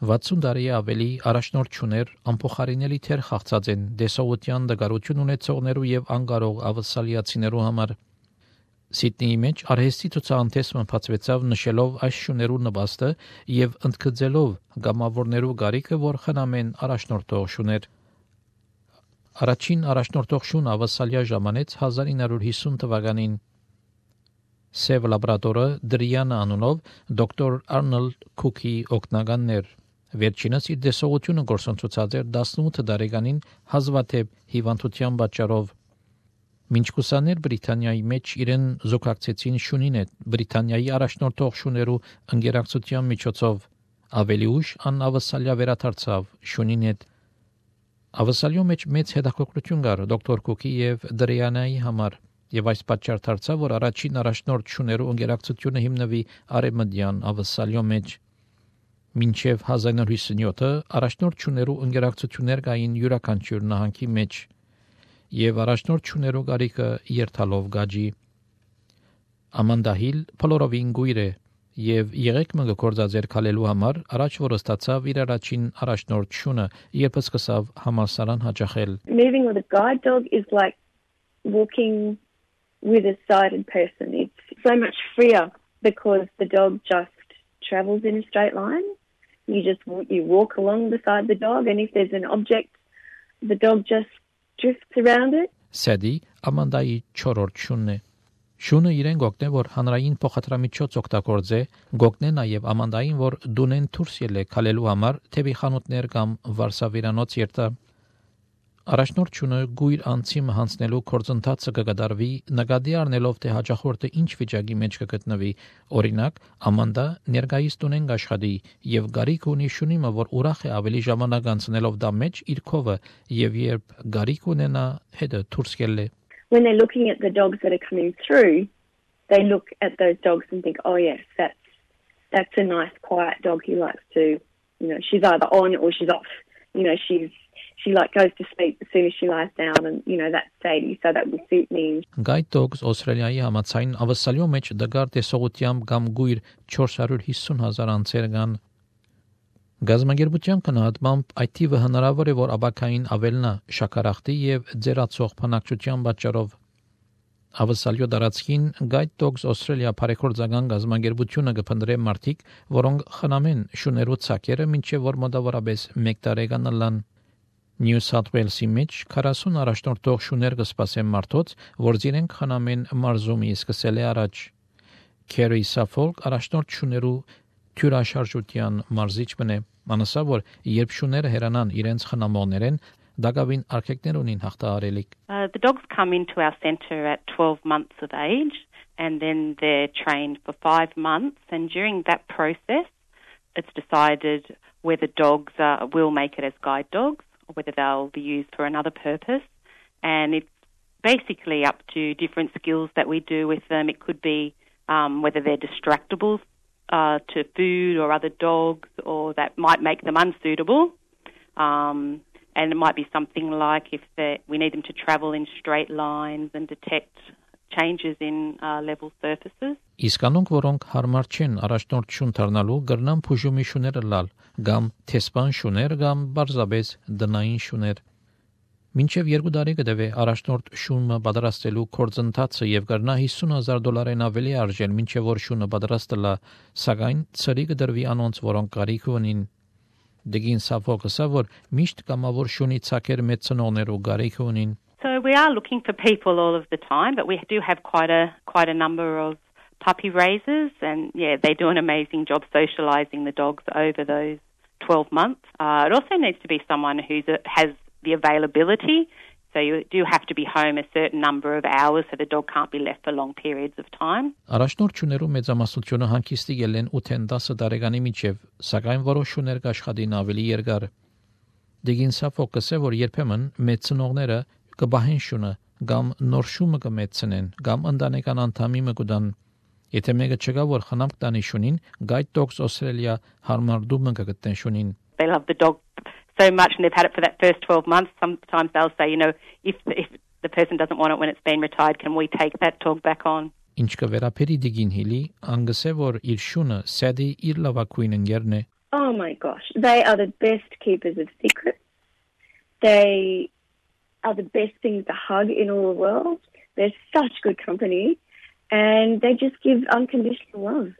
60 տարի ավելի առաջնորդ չուներ անփոխարինելի թեր խաղացած են դեսողության դգարություն ունեցողներու եւ անկարող ավսալիացիներու համար։ Սիդնեի մեջ արհեստի ցուցահանդեսը բացվեցավ նշելով այս շուներու նպաստը եւ ընդգծելով գամավորներու գարիկը, որ խնամեն առաջնորդող շուներ։ Առաջին առաջնորդող շուն ավսալիա ժամանեց 1950 թվականին։ Սև լաբրատորը Դրիանա անունով դոկտոր Արնոլդ Քուքի օգնականներ։ Վերջինս իր դեսողությունը գործընթացած էր 18 տարեկանին հազվադեպ հիվանդության պատճառով։ Մինչ կուսաներ Բրիտանիայի մեջ իրեն զուգակցեցին շունին հետ Բրիտանիայի առաջնորդող շուներու ընկերակցության միջոցով, ավելի ուշ անավսալիա վերադարձավ շունին հետ։ Ավսալիո մեջ մեծ հետաքրքրություն կար դոկտոր Քուքի եւ Դրիանայի համար, եւ այս պատճառ դարձավ, որ առաջին առաջնորդ շուներու ընկերակցությունը հիմնվի արևմտյան ավսալիո մեջ։ Մինչև 1957-ը առաջնորդ շուներու ընկերակցություններ կային յուրաքանչյուր նահանգի մեջ, եւ առաջնորդ շուներու գարիկը երթալով գաջի։ Ամանդա Հիլ փոլորովին գույր է եւ եղեգմը գործածեր քալելու համար առաջ որ ստացավ իր առաջին առաջնորդ շունը, երբ սկսավ համալսարան հաճախել։ Moving with a guide dog is like walking with a sighted person. It's so much freer because the dog just travels in a straight line. You walk along beside the dog, and if there's an object, the dog just drifts around it. Սեդի Ամանդայի 4-րդ շունն է։ Շունը իրեն գոգնե, որ հանրային փոխադրամիջոց օգտագործե, գոգնե նաև Ամանդային, որ դունեն դուրս ելե քալելու համար թեպի խանութներ կամ վարսավիրանոց երթա։ Առաջնորդ շունը գույր անցիմը հանձնելու գործընթացը կգդարվի նկատի առնելով թե հաճախորդը ինչ վիճակի մեջ կգտնվի։ Օրինակ, Ամանդա ներկայիս տունեն աշխատի եւ գարիկ ունի շունիմը, որ ուրախ է ավելի ժամանակ անցնելով դա մեջ իր քովը եւ երբ գարիկ ունենա հետը դուրս գելը։ When they're looking at the dogs that are coming through, they look at those dogs and think, oh yes, that's a nice quiet dog who likes to, she's either on or she's off. She goes to sleep as soon as she lies down, and that's Sadie, so that would suit me. Guide dogs Australia-ի համաձայն ավսալիո մեջ դգար տեսողությամբ կամ գույր 450,000 անձեր կան։ Գազագերբության կնահատմամբ այդ թիվը հնարավոր է, որ աբակային ավելնա շաքարախտի եւ ձերացող բնակչության պատճառով։ Ավսալիո դարածքին Guide Dogs Australia բարեգործական գազագերբությունը կփնտրե մարդիկ, որոնք խնամեն շուներու ցակերը, մինչեւ որ մոտավորապես 1 տարեկան լան։ New South Wales-ի մեջ 40 առաջնորդող շուներ կսպասեն մարդոց, որ իրենք խնամեն մարզումի սկսել է առաջ։ Kerry Suffolk առաջնորդ շուներու թյուրաշարժության մարզիչ մնե, անասա որ երբ շուները հերանան իրենց խնամողներեն, դակավին արկեկներ ունին հաղթահարելիք։ The dogs come into our centre at 12 months of age, and then they're trained for 5 months, and during that process it's decided whether dogs will make it as guide dogs or whether they'll be used for another purpose, and it's basically up to different skills that we do with them. It could be whether they're distractible to food or other dogs, or that might make them unsuitable, and it might be something like if we need them to travel in straight lines and detect changes in level surfaces. Իսկ անոնք, որոնք հարմար չեն առաջնորդ շուն դառնալու, գրնան փուժումի շուներ լալ, կամ թեսպան շուներ, կամ բարձաբես դնային շուներ։ Մինչև 2 տարի կդեվե առաջնորդ շունը պատրաստելու գործընթացը եւ կրնա $50,000 ավելի արժեն, մինչև որ շունը պատրաստելա, սակայն ծրի կդրվի անոնց, որոնք կարիք ունին։ Դեգին Սաֆոկսը, որ միշտ կամավոր շունի ցակեր մեծ ծնողներու կարիք ունին։ So we are looking for people all of the time, but we do have quite a number of puppy raisers, and they do an amazing job socialising the dogs over those 12 months. It also needs to be someone who has the availability, so you do have to be home a certain number of hours, so the dog can't be left for long periods of time. Առաջնորդ շուներու մեծամասնությունը հանգիստի ելեն 8-10 տարեկանի միջև, սակայն որոշ շուներ կաշխատին ավելի երկար։ Դեգինսա ֆոկուսը, որ երբեմն մեծ ծնողները կբահեն շունը, կամ նոր շումը կմեծնեն, կամ ընտանեկան անդամի մկուդան։ Եթե մեկը չկա, որ խնամք տանի շունին, Guide Dogs Australia հարմարդումը կգտնեն շունին։ They love the dog so much and they've had it for that first 12 months. Sometimes they'll say, if the person doesn't want it when it's been retired, can we take that dog back on? Ինչ կվերապերի Դիգին Հիլի, անգսե որ իր շունը Սեդի իր լավագույն ընկերն է։ Oh my gosh, they are the best keepers of secrets. They are the best things to hug in all the world. They're such good company, and they just give unconditional love.